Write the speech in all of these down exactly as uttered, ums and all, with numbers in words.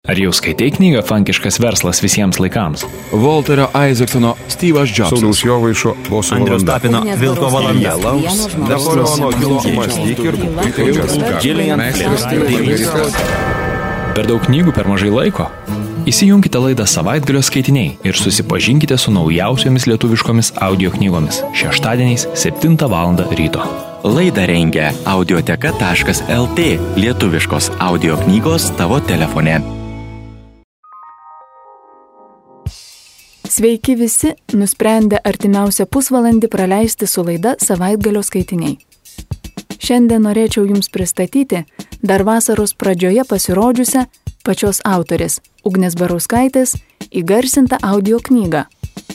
Ar jau skaitai knygą Funkiškas verslas visiems laikams? Walterio Isaacsono Steve'as Jobsas. Sauliaus Jovaišo Boso Andriaus valanda. Tapino Vilko valanda. Napoleono Hilo mąstyk ir Per daug knygų per mažai laiko? Įsijunkite laidą Savaitgalio skaitiniai ir susipažinkite su naujausiomis lietuviškomis audio knygomis šeštadieniais septintą valandą ryto. Laidą rengia audioteka taškas lt, lietuviškos audio knygos tavo telefone. Sveiki visi, nusprendę artimiausią pusvalandį praleisti su laida Savaitgalio skaitiniai. Šiandien norėčiau Jums pristatyti dar vasaros pradžioje pasirodžiusią pačios autorės Ugnės Barauskaitės įgarsintą audio knygą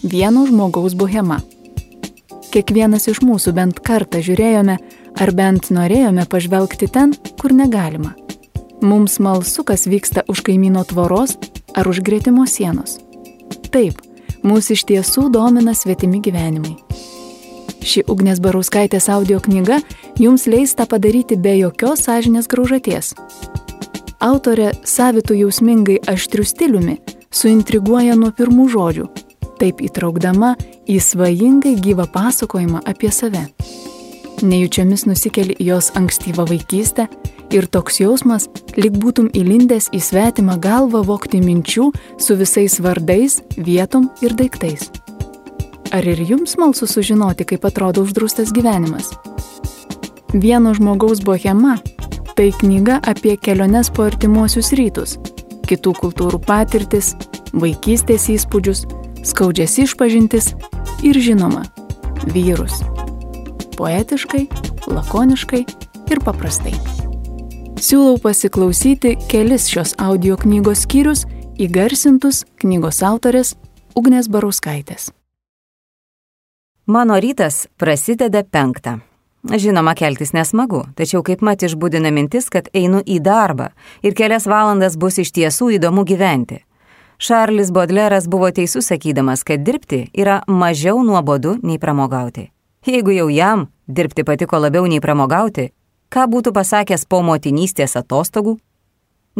Vieno žmogaus bohema. Kiekvienas iš mūsų bent kartą žiūrėjome ar bent norėjome pažvelgti ten, kur negalima. Mums smalsu, kas vyksta už kaimyno tvoros ar už gretimo sienos. Taip, mūsų iš tiesų domina svetimi gyvenimai. Ši Ugnės Barauskaitės audio knyga jums leis tą padaryti be jokios sąžinės graužaties. Autorė savitų jausmingai aštriu stiliumi suintriguoja nuo pirmų žodžių, taip įtraukdama į svajingai gyvą pasakojimą apie save. Nejučiamis nusikeli į jos ankstyvą vaikystę ir toks jausmas, lyg būtum įlindęs į svetimą galvą vogti minčių su visais vardais, vietom ir daiktais. Ar ir jums smalsu sužinoti, kaip atrodo uždraustas gyvenimas? Vieno žmogaus bohema – tai knyga apie keliones po artimuosius rytus, kitų kultūrų patirtis, vaikystės įspūdžius, skaudžias išpažintis ir žinoma – vyrus. Poetiškai, lakoniškai ir paprastai. Siūlau pasiklausyti kelis šios audio knygos skyrius įgarsintus knygos autorės Ugnės Barauskaitės. Mano rytas prasideda penktą. Žinoma, keltis nesmagu, tačiau kaip mat išbudina mintis, kad einu į darbą ir kelias valandas bus iš tiesų įdomu gyventi. Šarlis Bodleras buvo teisus sakydamas, kad dirbti yra mažiau nuobodu nei pramogauti. Jeigu jau jam dirbti patiko labiau nei pramogauti, ką būtų pasakęs po motinystės atostogų?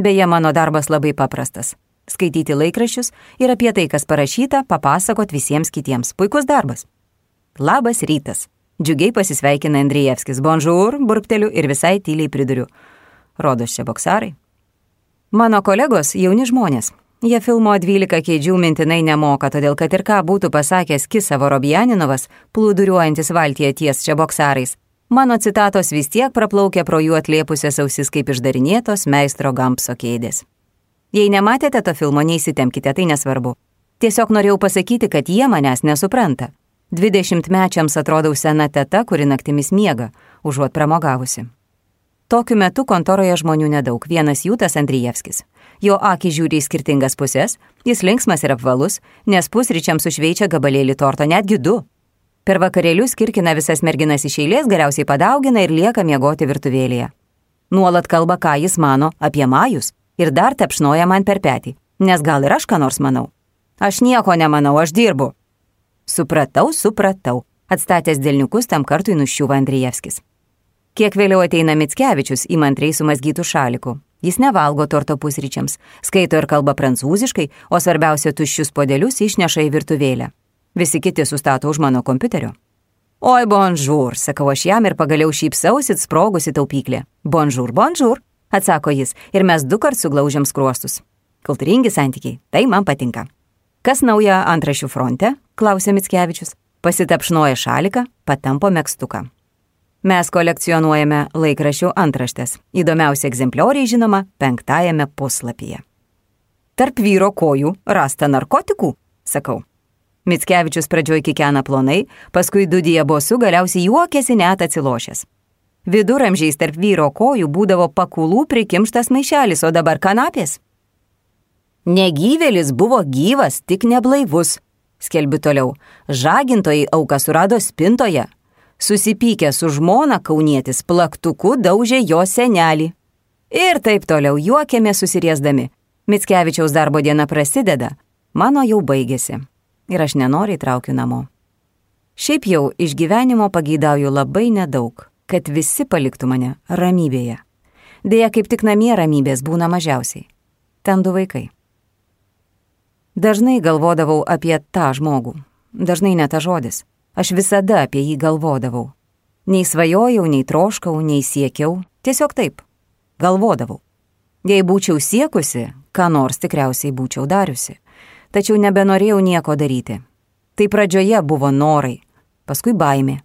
Beje, mano darbas labai paprastas. Skaityti laikraščius ir apie tai, kas parašyta, papasakot visiems kitiems. Puikus darbas. Labas rytas. Džiugiai pasisveikina Andrijevskis. Bonjour, burpteliu ir visai tyliai priduriu. Rodos čia boksarai. Mano kolegos jauni žmonės. Jie filmo dvylika kėdžių mintinai nemoka, todėl kad ir ką būtų pasakęs Kisa Vorobjaninovas, plūduriuojantis valtyje ties čia boksarais, mano citatos vis tiek praplaukia pro jų atlėpusias ausis kaip išdarinėtos meistro Gampso kėdės. Jei nematėte to filmo, neįsitemkite, tai nesvarbu. Tiesiog norėjau pasakyti, kad jie manęs nesupranta. Dvidešimtmečiams atrodau sena teta, kuri naktimis miega, užuot pramogavusi. Tokiu metu kontoroje žmonių nedaug, vienas jų tas Andrijevskis. Jo akį žiūri į skirtingas pusės, jis linksmas ir apvalus, nes pusryčiams sušveičia gabalėlį torto, netgi du. Per vakarėlius kirkina visas merginas iš eilės, galiausiai padaugina ir lieka miegoti virtuvėlėje. Nuolat kalba, ką jis mano apie majus ir dar tepšnoja man per petį, nes gal ir aš ką nors manau. Aš nieko nemanau, aš dirbu. Supratau, supratau, atstatęs delniukus tam kartui nuščiuva Andrijevskis. Kiek vėliau ateina Mickevičius įmantriai sumazgytų šalikų. Jis nevalgo torto pusryčiams, skaito ir kalba prancūziškai, o svarbiausia tuščius podelius išneša į virtuvėlę. Visi kiti sustato už mano kompiuterio. Oi, bonjour, sakau aš jam ir pagaliau šypsausit sprogusi taupyklė. Bonjour, bonjour, atsako jis ir mes du kart suglaužiam skruostus. Kultūringi santykiai, tai man patinka. Kas nauja antraščių fronte? Klausė Mickevičius. Pasitapšnoja šaliką, patampo megztuką. Mes kolekcionuojame laikraščių antraštės. Įdomiausi egzemplioriai, žinoma, penktajame puslapyje. Tarp vyro kojų rasta narkotikų, sakau. Mickevičius pradžioj kikena plonai, paskui dudija bosu, galiausiai juokėsi net atsilošęs. Viduramžiais tarp vyro kojų būdavo pakulų prikimštas maišelis, o dabar kanapės. Negyvėlis buvo gyvas, tik neblaivus, skelbiu toliau. Žagintojai auką surado spintoje. Susipykę su žmona kaunietis plaktuku daužė jo senelį. Ir taip toliau juokėme susiriesdami. Mickevičiaus darbo diena prasideda, mano jau baigėsi. Ir aš nenoriai traukiu namo. Šiaip jau iš gyvenimo pageidauju labai nedaug, kad visi paliktų mane ramybėje. Deja, kaip tik namie ramybės būna mažiausiai. Ten du vaikai. Dažnai galvodavau apie tą žmogų. Dažnai ne ta žodis. Aš visada apie jį galvodavau. Nei svajojau, nei troškau, nei siekiau. Tiesiog taip. Galvodavau. Jei būčiau siekusi, ką nors tikriausiai būčiau dariusi. Tačiau nebenorėjau nieko daryti. Tai pradžioje buvo norai, paskui baimė.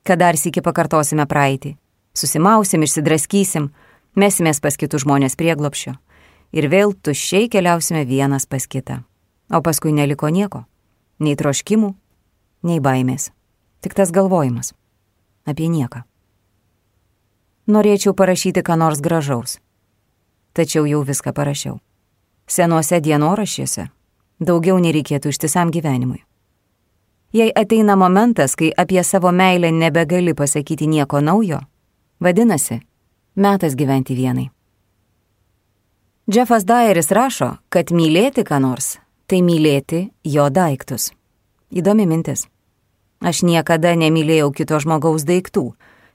Kad dar sykį pakartosime praeitį. Susimausim, išsidraskysim, mesimės pas kitus žmonės prieglobščio. Ir vėl tuščiai keliausime vienas pas kitą. O paskui neliko nieko. Nei troškimų, nei baimės. Tik tas galvojimas. Apie nieką. Norėčiau parašyti ką nors gražaus. Tačiau jau viską parašiau. Senuose dienoraščiuose daugiau nereikėtų ištisam gyvenimui. Jei ateina momentas, kai apie savo meilę nebegali pasakyti nieko naujo, vadinasi, metas gyventi vienai. Jeffas Dyeris rašo, kad mylėti ką nors, tai mylėti jo daiktus. Įdomi mintis. Aš niekada nemylėjau kito žmogaus daiktų.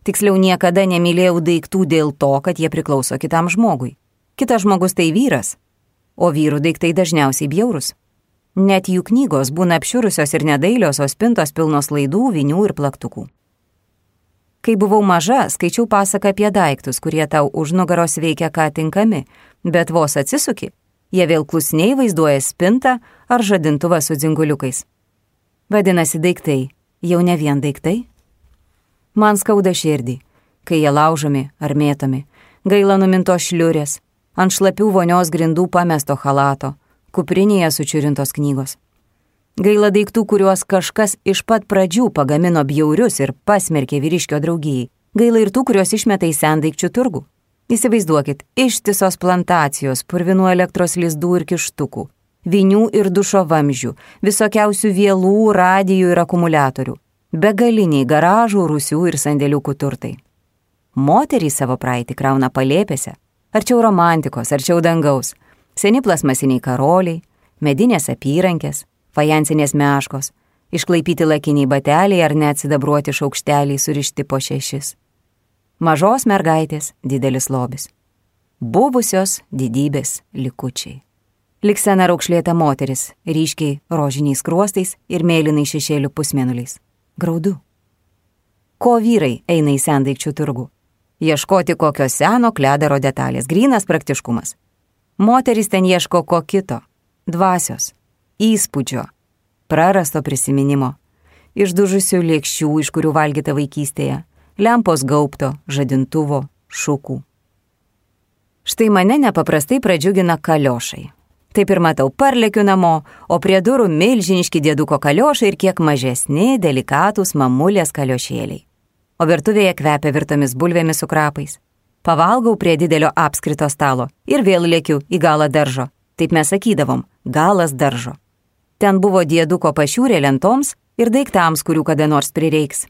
Tiksliau, niekada nemylėjau daiktų dėl to, kad jie priklauso kitam žmogui. Kitas žmogus tai vyras, o vyrų daiktai dažniausiai bjaurus. Net jų knygos būna apšiurusios ir nedailios, o spintos pilnos laidų, vinių ir plaktukų. Kai buvau maža, skaičiau pasaką apie daiktus, kurie tau už nugaros veikia ką tinkami, bet vos atsisuki, jie vėl klusniai vaizduoja spintą ar žadintuvą su dzinguliukais. Vadinasi, daiktai jau ne vien daiktai? Man skauda širdį, kai jie laužomi ar mėtomi, gaila numinto šliurės, ant šlapių vonios grindų pamesto chalato, kuprinėje sučiurintos knygos. Gaila daiktų, kuriuos kažkas iš pat pradžių pagamino bjaurius ir pasmerkė vyriškio draugijai. Gaila ir tų, kuriuos išmeta į sendaikčių turgų. Įsivaizduokit, ištisos plantacijos, purvinų elektros lizdų ir kištukų, vinių ir dušo vamzdžių, visokiausių vielų, radijų ir akumuliatorių, begaliniai garažų, rūsių ir sandėliukų turtai. Moterys savo praeitį krauna palėpėse, arčiau romantikos, arčiau dangaus, seni plasmasiniai karoliai, medinės apyrankės, fajansinės meškos, išklaipyti lakiniai bateliai ar net sidabruoti šaukšteliai surišti po šešis. Mažos mergaitės didelis lobis. Buvusios didybės likučiai. Lik sena raukšlėta moteris, ryškiai rožiniais skruostais ir mėlynai šešėlių pusmėnuliais. Graudu. Ko vyrai eina į sendaikčių turgų? Ieškoti kokio seno kledaro detalės, grynas praktiškumas. Moteris ten ieško ko kito, dvasios, įspūdžio, prarasto prisiminimo, išdužusių lėkščių, iš kurių valgyta vaikystėje, lempos gaubto, žadintuvo, šukų. Štai mane nepaprastai pradžiugina kaliošai. Taip ir matau, parlekiu namo, o prie durų milžiniški dieduko kaliošai ir kiek mažesni, delikatūs mamulės kaliošėliai. O virtuvėje kvepia virtomis bulvėmis su krapais. Pavalgau prie didelio apskrito stalo ir vėl lėkiu į galą daržo. Taip mes sakydavom, galas daržo. Ten buvo dieduko pašiūrė lentoms ir daiktams, kurių kada nors prireiks.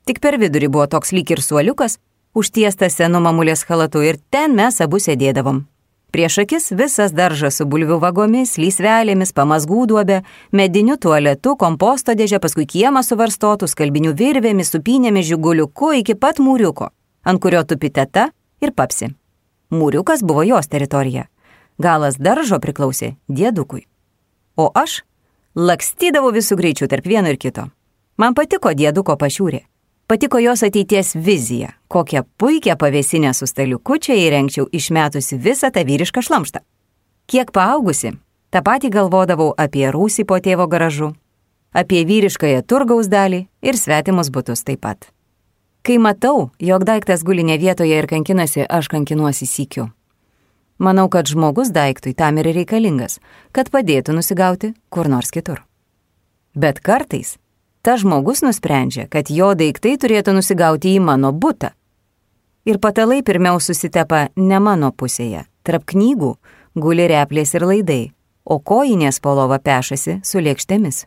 Tik per vidurį buvo toks lyg ir suoliukas, užtiestas senu mamulės chalatu ir ten mes abu sėdėdavom. Prieš akis visas daržas su bulvių vagomis, lysvelėmis, pamazgų duobė, mediniu tualetu, komposto dėžė, paskui kiemą suvarstotų, skalbinių virvėmis, supynėmis, žiguliuku iki pat mūriuko, ant kurio tupi teta ir papsi. Mūriukas buvo jos teritorija. Galas daržo priklausė diedukui. O aš lakstydavau visų greičių tarp vieno ir kito. Man patiko dieduko pašiūrė. Patiko jos ateities vizija, kokią puikią pavėsinę su staliuku čia įrengčiau išmetusi visą tą vyrišką šlamštą. Kiek paaugusi, tą patį galvodavau apie rūsį po tėvo garažu, apie vyriškąją turgaus dalį ir svetimus butus taip pat. Kai matau, jog daiktas guli ne vietoje ir kankinasi, aš kankinuosi sykiu. Manau, kad žmogus daiktui tam ir reikalingas, kad padėtų nusigauti kur nors kitur. Bet kartais ta žmogus nusprendžia, kad jo daiktai turėtų nusigauti į mano butą. Ir patalai pirmiau susitepa ne mano pusėje. Tarp knygų guli replės ir laidai, o kojinės po lova pešasi su lėkštėmis.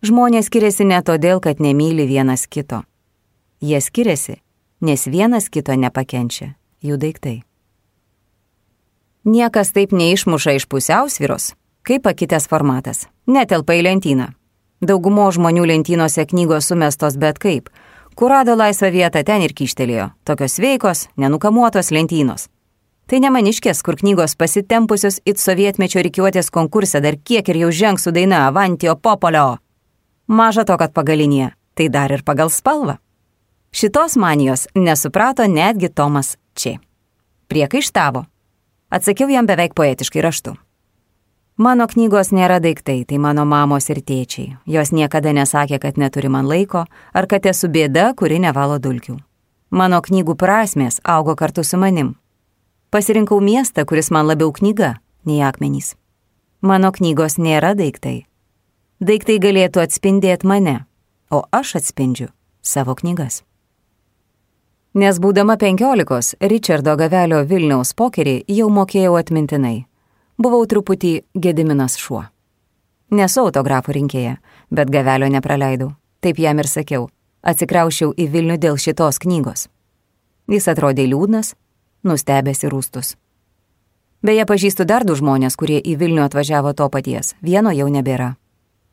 Žmonės skiriasi ne todėl, kad nemyli vienas kito. Jie skiriasi, nes vienas kito nepakenčia jų daiktai. Niekas taip neišmuša iš pusiausvyros, kaip pakitęs formatas. Netelpa į lentyną. Daugumo žmonių lentynose knygos sumestos bet kaip. Kur rado laisvą vietą, ten ir kyštelėjo. Tokios sveikos, nenukamuotos lentynos. Tai ne maniškės, kur knygos pasitempusios it sovietmečio rikiuotės konkurse dar kiek ir jau žengs su daina Avantio Popolio. Maža to, kad pagalinė, tai dar ir pagal spalvą. Šitos manijos nesuprato netgi Tomas Č. Priekaištavo. Atsakiau jam beveik poetiškai raštu. Mano knygos nėra daiktai, tai mano mamos ir tėčiai. Jos niekada nesakė, kad neturi man laiko, ar kad esu bėda, kuri nevalo dulkių. Mano knygų prasmės augo kartu su manim. Pasirinkau miestą, kuris man labiau knyga, nei akmenys. Mano knygos nėra daiktai. Daiktai galėtų atspindėti mane, o aš atspindžiu savo knygas. Nes būdama penkiolikos, Richardo Gavelio Vilniaus pokerį jau mokėjau atmintinai. Buvau truputį Gediminas šuo. Nesu autografų rinkėja, bet Gavelio nepraleidau. Taip jam ir sakiau. Atsikraušiau į Vilnių dėl šitos knygos. Jis atrodė liūdnas, nustebęs ir rūstus. Beje, pažįstu dar du žmonės, kurie į Vilnių atvažiavo to paties. Vieno jau nebėra.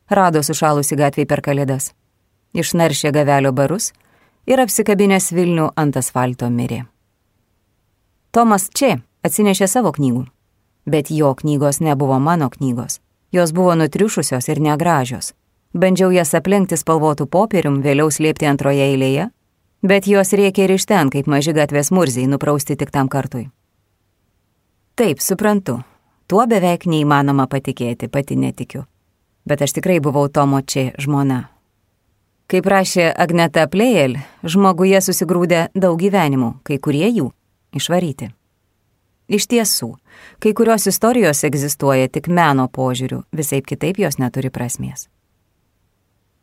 Rado sušalusi gatvėj per kalėdas. Išnaršė Gavelio barus ir apsikabinęs Vilnių ant asfalto mirė. Tomas Č. atsinešė savo knygų, bet jo knygos nebuvo mano knygos. Jos buvo nutriušusios ir negražios. Bandžiau jas aplenkti spalvotų popierium, vėliau slėpti antroje eilėje, bet jos rėkė ir iš ten, kaip maži gatvės murziai, nuprausti tik tam kartui. Taip, suprantu, tuo beveik neįmanoma patikėti, pati netikiu. Bet aš tikrai buvau Tomo Č. žmona. Kaip rašė Agneta Plejel, žmoguje susigrūdė daug gyvenimų, kai kurie jų išvaryti. Iš tiesų, kai kurios istorijos egzistuoja tik meno požiūriu, visaip kitaip jos neturi prasmės.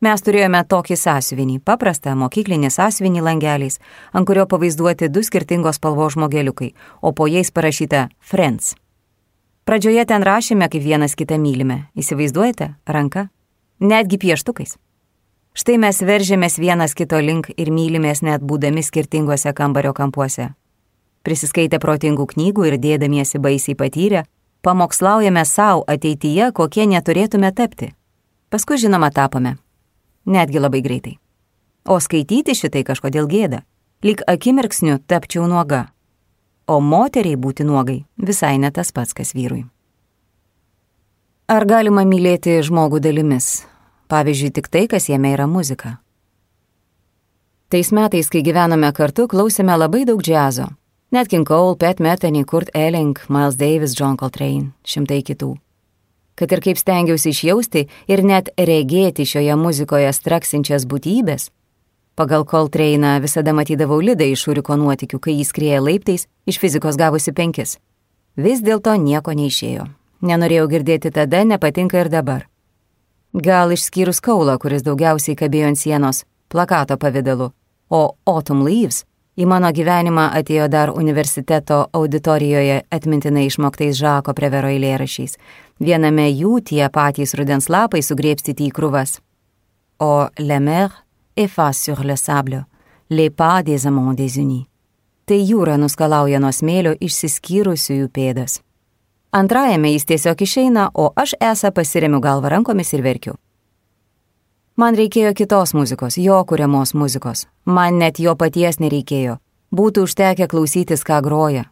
Mes turėjome tokį sąsiuvinį, paprastą mokyklinį sąsiuvinį langeliais, ant kurio pavaizduoti du skirtingos spalvos žmogeliukai, o po jais parašyta Friends. Pradžioje ten rašėme, kaip vienas kitą mylime. Įsivaizduojate? Ranka? Netgi pieštukais. Štai mes veržėmės vienas kito link ir mylimės net būdami skirtingose kambario kampuose. Prisiskaitę protingų knygų ir dėdamiesi baisiai patyrę, pamokslaujame savo ateityje, kokie neturėtume tapti. Paskui žinoma tapome. Netgi labai greitai. O skaityti šitai kažkodėl gėda. Lyg akimirksniu tapčiau nuoga. O moteriai būti nuogai visai ne tas pats, kas vyrui. Ar galima mylėti žmogų dalimis? Pavyzdžiui, tik tai, kas jame yra muzika. Tais metais, kai gyvenome kartu, klausėme labai daug džiazo. Nat King Cole, Pat Metheny, Kurt Elling, Miles Davis, John Coltrane, šimtai kitų. Kad ir kaip stengiausi išjausti ir net regėti šioje muzikoje straksinčias būtybės, pagal Coltrane'ą visada matydavau Lidą iš Šuriko nuotykių, kai jis skrieja laiptais, iš fizikos gavusi penkis. Vis dėlto nieko neišėjo. Nenorėjau girdėti tada, nepatinka ir dabar. Gal išskyrus Kaulą, kuris daugiausiai kabėjo ant sienos, plakato pavidalu, o Autumn Leaves į mano gyvenimą atėjo dar universiteto auditorijoje atmintinai išmoktais Žako Prevero eilėrašiais. Viename jų tie patys rudens lapai sugrėbstyti į krūvas. O la mer efface sur le sable les pas des amants désunis. Tai jūra nuskalauja nuo smėlio išsiskyrusiųjų pėdas. Antrajame jis tiesiog išeina, o aš esą pasiremiu galvą rankomis ir verkiu. Man reikėjo kitos muzikos, jo kuriamos muzikos. Man net jo paties nereikėjo. Būtų užtekę klausytis, ką groja.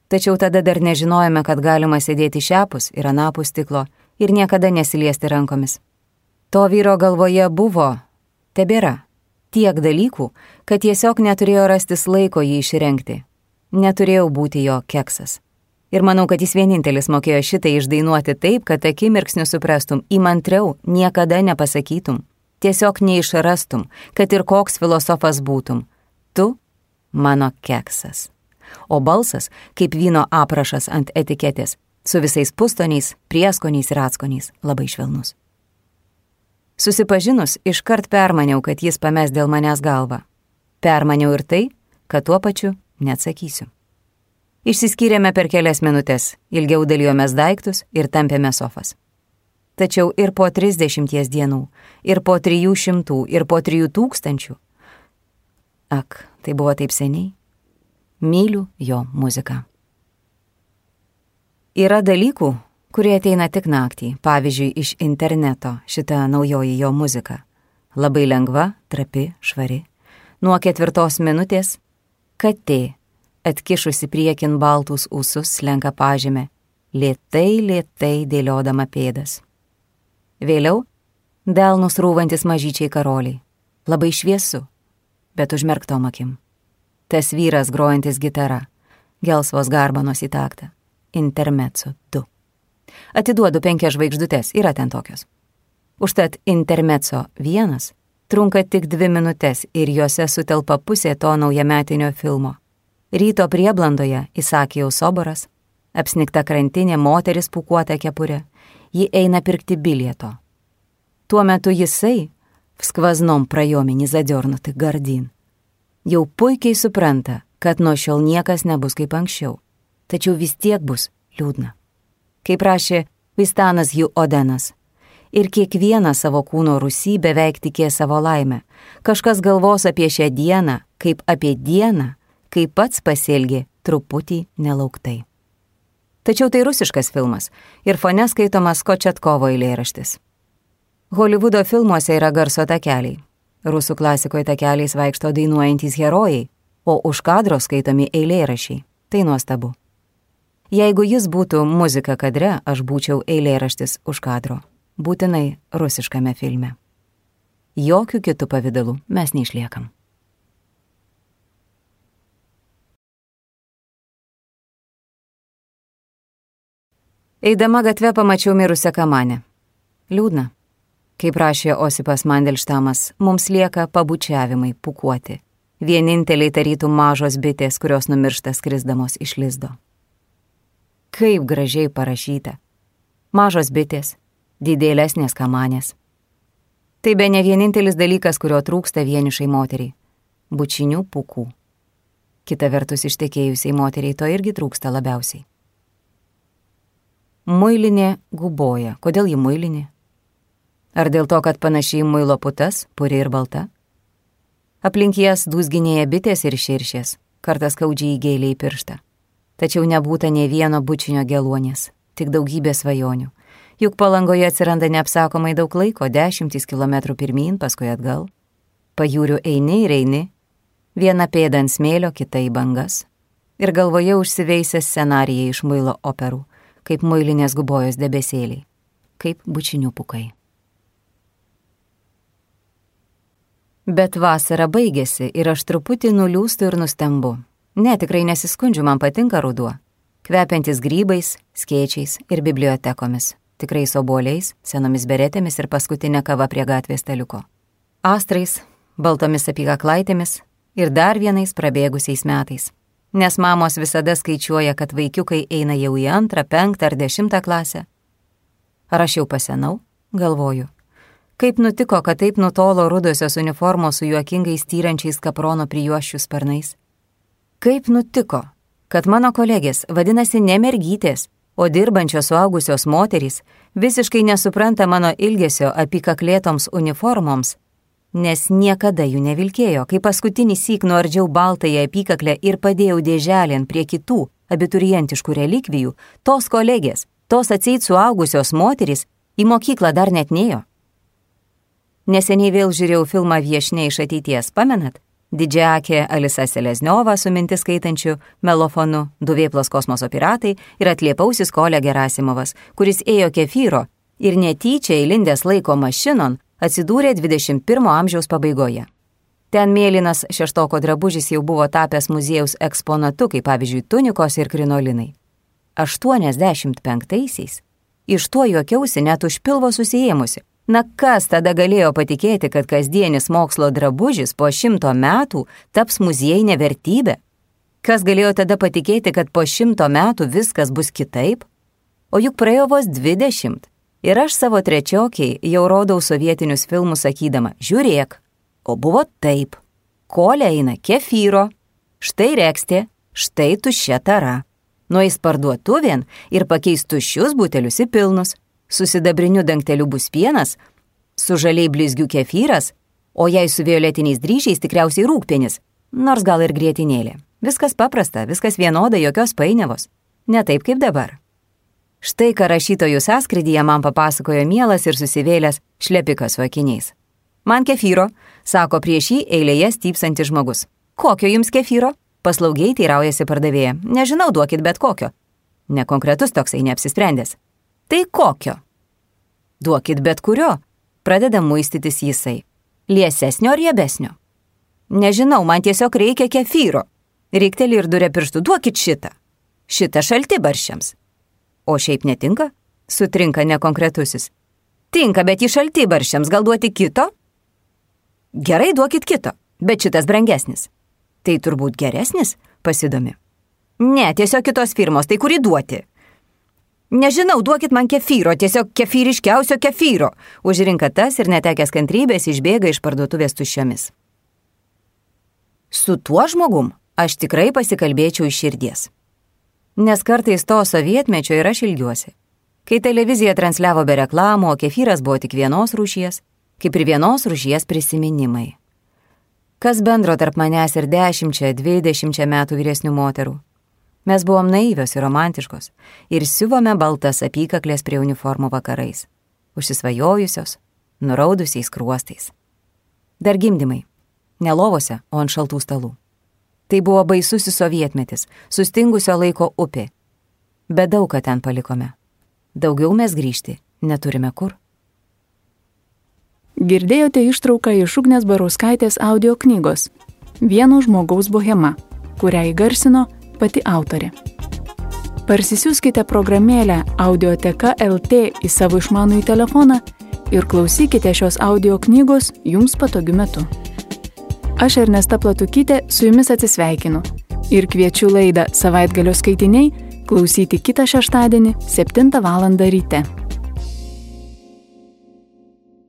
Tačiau tada dar nežinojome, kad galima sėdėti šiapus ir anapus stiklo ir niekada nesiliesti rankomis. To vyro galvoje buvo, tebėra, tiek dalykų, kad tiesiog neturėjo rastis laiko jį išrengti. Neturėjau būti jo keksas. Ir manau, kad jis vienintelis mokėjo šitai išdainuoti taip, kad akimirksniu suprastum, įmantriau niekada nepasakytum, tiesiog neišrastum, kad ir koks filosofas būtum. Tu mano keksas. O balsas, kaip vyno aprašas ant etiketės, su visais pustoniais, prieskoniais ir atskoniais, labai švelnus. Susipažinus, iškart permaniau, kad jis pames dėl manęs galvą. Permaniau ir tai, kad tuo pačiu neatsakysiu. Išsiskyrėme per kelias minutės, ilgiau dalijomės daiktus ir tampėme sofas. Tačiau ir po trisdešimties dienų, ir po trijų šimtų, ir po trijų tūkstančių. Ak, tai buvo taip seniai. Myliu jo muziką. Yra dalykų, kurie ateina tik naktį, pavyzdžiui, iš interneto, šita naujoji jo muzika. Labai lengva, trapi, švari. Nuo ketvirtos minutės katė atkišusi priekin baltus ūsus, slenka pažemė, lėtai, lėtai dėliodama pėdas. Vėliau delnus rūvantis mažyčiai karoliai, labai šviesu, bet užmerktom akim. Tas vyras grojantis gitara, gelsvos garbanos į taktą, intermezzo du. Atiduodu penkias žvaigždutes, yra ten tokios. Užtat intermezzo vienas trunka tik dvi minutės ir juose sutelpa pusė to naujametinio filmo. Ryto prieblandoje Isakijaus soboras, apsnigta krantinė, moteris pūkuota kepurė, ji eina pirkti bilieto. Tuo metu jisai, в сквозном проеме не задернутый гардин, jau puikiai supranta, kad nuo šiol niekas nebus kaip anksčiau, tačiau vis tiek bus liūdna. Kaip rašė Vistanas Hugh Odenas, ir kiekvieną savo kūno rūsy beveik tikė savo laimę. Kažkas galvos apie šią dieną, kaip apie dieną, kai pats pasielgė truputį nelauktai. Tačiau tai rusiškas filmas ir fone skaitomas Kočetkovo eilėraštis. Holivudo filmuose yra garso takeliai. Rusų klasikoje takeliais vaikšto dainuojantys herojai, o už kadro skaitomi eilėrašiai. Tai nuostabu. Jeigu jis būtų muzika kadre, aš būčiau eilėraštis už kadro. Būtinai rusiškame filme. Jokių kitų pavidalų mes neišliekam. Eidama gatve pamačiau mirusią kamanę. Liūdna. Kaip rašė Osipas Mandelštamas, mums lieka pabučiavimai, pūkuoti. Vieninteliai tarytų mažos bitės, kurios numiršta skrisdamos iš lizdo. Kaip gražiai parašyta. Mažos bitės, didelesnės kamanės. Tai be ne vienintelis dalykas, kurio trūksta vienišai moteriai. Bučinių pūkų. Kita vertus ištekėjusiai moteriai to irgi trūksta labiausiai. Muilinė guboja. Kodėl ji muilinė? Ar dėl to, kad panašiai muilo putas, puri ir balta? Aplink jas dūzginėja bitės ir širšės, kartas skaudžiai įgėlė į pirštą. Tačiau nebūta nei vieno bučinio geluonės, tik daugybė svajonių. Juk Palangoje atsiranda neapsakomai daug laiko, dešimtis kilometrų pirmyn, paskui atgal. Pajūriu eini ir eini, viena pėda ant smėlio, kita į bangas. Ir galvoje užsiveisęs scenarijai iš muilo operų, kaip muilinės gubojos debesėliai, kaip bučinių pūkai. Bet vasara baigėsi ir aš truputį nuliūstu ir nustembu. Ne, tikrai nesiskundžiu, man patinka ruduo. Kvepiantis grybais, skėčiais ir bibliotekomis. Tikrai obuoliais, senomis beretėmis ir paskutinė kava prie gatvės staliuko. Astrais, baltomis apykaklaitėmis ir dar vienais prabėgusiais metais. Nes mamos visada skaičiuoja, kad vaikiukai eina jau į antrą, penktą ar dešimtą klasę. Ar aš jau pasenau? Galvoju. Kaip nutiko, kad taip nutolo rudosios uniformos su juokingais tyrančiais kaprono prijuosčių sparnais? Kaip nutiko, kad mano kolegės vadinasi ne mergytės, o dirbančios suaugusios moterys visiškai nesupranta mano ilgesio apykaklėtoms uniformoms, nes niekada jų nevilkėjo, kai paskutinį syk nuardžiau baltąją apykaklę ir padėjau dėželėn prie kitų abiturientiškų relikvijų, tos kolegės, tos atseit suaugusios moterys į mokyklą dar net nėjo. Neseniai vėl žiūrėjau filmą Viešnia iš ateities, pamenat? Didžiakė Alisa Selezniova su mintis skaitančiu melofonu, du vėplos kosmoso piratai ir atliepausis Kolė Gerasimovas, kuris ėjo kefyro ir netyčia įlindęs laiko mašinon atsidūrė dvidešimt pirmo amžiaus pabaigoje. Ten mėlynas šeštoko drabužis jau buvo tapęs muziejaus eksponatu, kaip pavyzdžiui tunikos ir krinolinai. aštuoniasdešimt penktaisiais iš tuo juokiausi net už pilvo susiėmusi. Na kas tada galėjo patikėti, kad kasdienis mokslo drabužis po šimto metų taps muziejinė vertybė? Kas galėjo tada patikėti, kad po šimto metų viskas bus kitaip? O juk praėjo vos dvidešimt. Ir aš savo trečiokiai jau rodau sovietinius filmus sakydama, žiūrėk, o buvo taip. Kolė eina kefyro, štai rekstė, štai tuščia tara. Nueis parduotuvėn ir pakeis tuščius butelius į pilnus. Su sidabriniu dangteliu bus pienas, su žaliai blizgiu kefyras, o jei su violetiniais dryžiais tikriausiai rūgpienis, nors gal ir grietinėlė. Viskas paprasta, viskas vienoda, jokios painiavos. Ne taip kaip dabar. Štai ką rašytojų sąskrydyje man papasakojo mielas ir susivėlęs šlepikas su akiniais. Man kefyro, sako prieš jį eilėje stypsantis žmogus. Kokio jums kefyro? Paslaugiai teiraujasi pardavėja. Nežinau, duokit bet kokio. Nekonkretus toksai neapsisprendęs. Tai kokio? Duokit bet kurio. Pradeda muistytis jisai. Liesesnio ar riebesnio? Nežinau, man tiesiog reikia kefyro. Reikteli ir duria pirštų, duokit šitą. Šitą šaltibarščiams. O šiaip netinka? Sutrinka nekonkretusis. Tinka, bet į šaltibarščiams gal duoti kito? Gerai, duokit kito, bet šitas brangesnis. Tai turbūt geresnis, pasidomi. Ne, tiesiog kitos firmos, tai kurį duoti? Nežinau, duokit man kefyro, tiesiog kefyriškiausio kefyro. Užrinka tas ir netekęs kantrybės išbėga iš parduotuvės tuščiomis. Su tuo žmogum aš tikrai pasikalbėčiau iš širdies. Nes kartais to sovietmečio ir aš ilgiuosi. Kai televizija transliavo be reklamų, o kefyras buvo tik vienos rūšies, kaip ir vienos rūšies prisiminimai. Kas bendro tarp manęs ir dešimčia, dvidešimčia metų vyresnių moterų? Mes buvom naivios ir romantiškos ir siuvome baltas apykaklės prie uniformų vakarais, užsisvajojusios, nuraudusiais kruostais. Dar gimdymai, ne lovose, o ant šaltų stalų. Tai buvo baisusis sovietmetis, sustingusio laiko upė. Bet daug ką ten palikome. Daugiau mes grįžti neturime kur. Girdėjote ištrauką iš Ugnės Barauskaitės audio knygos Vieno žmogaus bohema, kurią įgarsino pati autorė. Parsisiųskite programėlę Audioteka L T į savo išmanųjį telefoną ir klausykite šios audio knygos jums patogiu metu. Aš Ernesta Platukytė su jumis atsisveikinu ir kviečiu laidą Savaitgalio skaitiniai klausyti kitą šeštadienį septintą valandą ryte.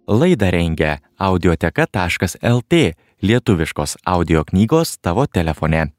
Laidą rengia audioteka taškas L T, lietuviškos audio knygos tavo telefone.